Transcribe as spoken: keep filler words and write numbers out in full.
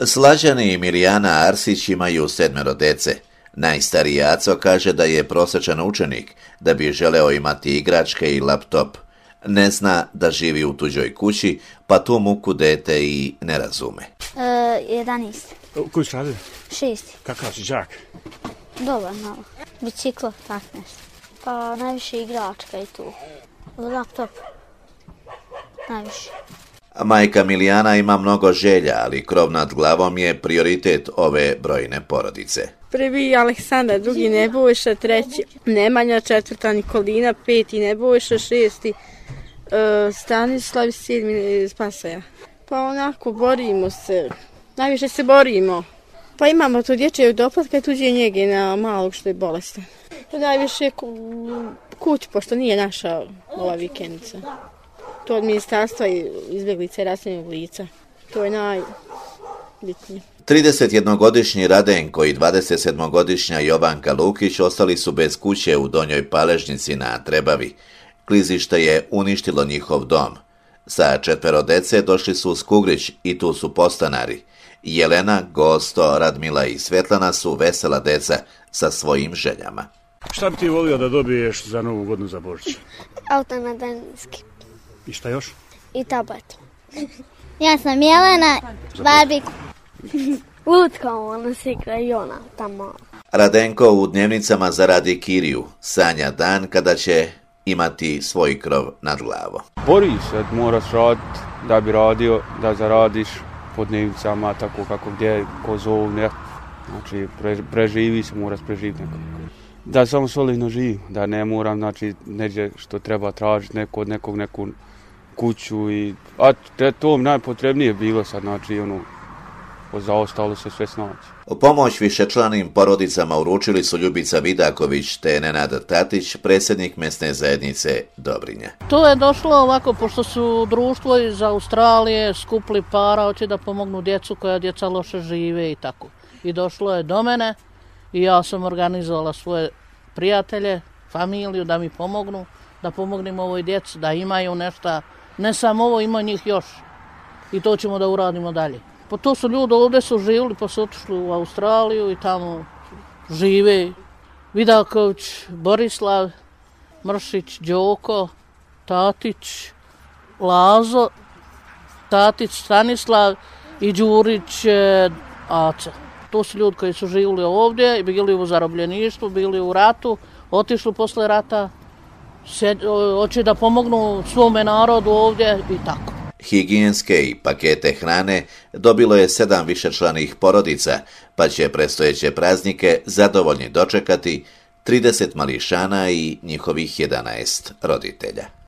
Slađani i Mirjana Arsić imaju sedmero dece. Najstariji Aco kaže da je prosječan učenik, da bi želeo imati igračke i laptop. Ne zna da živi u tuđoj kući, pa tu muku dete i ne razume. E, jedanaest. Koji si radili? Šesti. Kakav si đak? Dobar, malo. Biciklo, tak nešto. Pa najviše igračka i tu. Laptop. Najviše. Majka Milijana ima mnogo želja, ali krov nad glavom je prioritet ove brojne porodice. Prvi Aleksandar, drugi Nebojša, treći Nemanja, četvrta Nikolina, peti Nebojša, šesti uh, Stanislav, sedmi Spasaja. Pa onako borimo se, najviše se borimo. Pa imamo tu dječjeg doplatka i tuđe njege na malog što je bolestan. Pa najviše ku, kuć, pošto nije naša ova vikendica. To od ministarstva i izbjeglice raseljenog lica. To je najbitnije. tridesetjednogodišnji Radenko i dvadesetsedmogodišnja Jovanka Lukić ostali su bez kuće u Donjoj Paležnici na Trebavi. Klizište je uništilo njihov dom. Sa četvero dece došli su u Skugrić i tu su podstanari. Jelena, Gosto, Radmila i Svetlana su vesela deca sa svojim željama. Šta bi ti volio da dobiješ za Novu godinu za Božić? Auto na daljinski. I šta još? I tablet. Ja sam Jelena, Barbiku. Lutka, ona se igra i ona tamo. Radenko u dnevnicama zaradi kiriju. Sanja dan kada će imati svoj krov nad glavom. Bori se, moraš raditi da bi radio, da zaradiš po dnevnicama, tako kako gdje, ko zove, znači pre, preživi se, moraš preživiti nekako. Da samo solidno živim, da ne moram, znači, neđe što treba tražiti neko od nekog neku kuću i, a te, to najpotrebnije bilo sad, znači, ono, zaostalo se sve snaći. Pomoć višečlanim porodicama uručili su Ljubica Vidaković te Nenad Tatić, predsjednik mesne zajednice Dobrinja. To je došlo ovako, pošto su društvo iz Australije skupili para, hoće da pomognu djecu koja djeca loše žive i tako. I došlo je do mene i ja sam organizovala svoje prijatelje, familiju da mi pomognu, da pomognem ovoj djeci, da imaju nešto, ne samo ovo, ima njih još. I to ćemo da uradimo dalje. Pa to su ljudi ovdje su živjeli, pa su otišli u Australiju i tamo žive. Vidaković, Borislav, Mršić, Đoko, Tatić, Lazo, Tatić, Stanislav i Đurić, Aca. To su ljudi koji su živjeli ovdje, bili u zarobljeništvu, bili u ratu, otišli posle rata, hoće da pomognu svome narodu ovdje i tako. Higijenske i pakete hrane dobilo je sedam višečlanih porodica, pa će predstojeće praznike zadovoljni dočekati trideset mališana i njihovih jedanaest roditelja.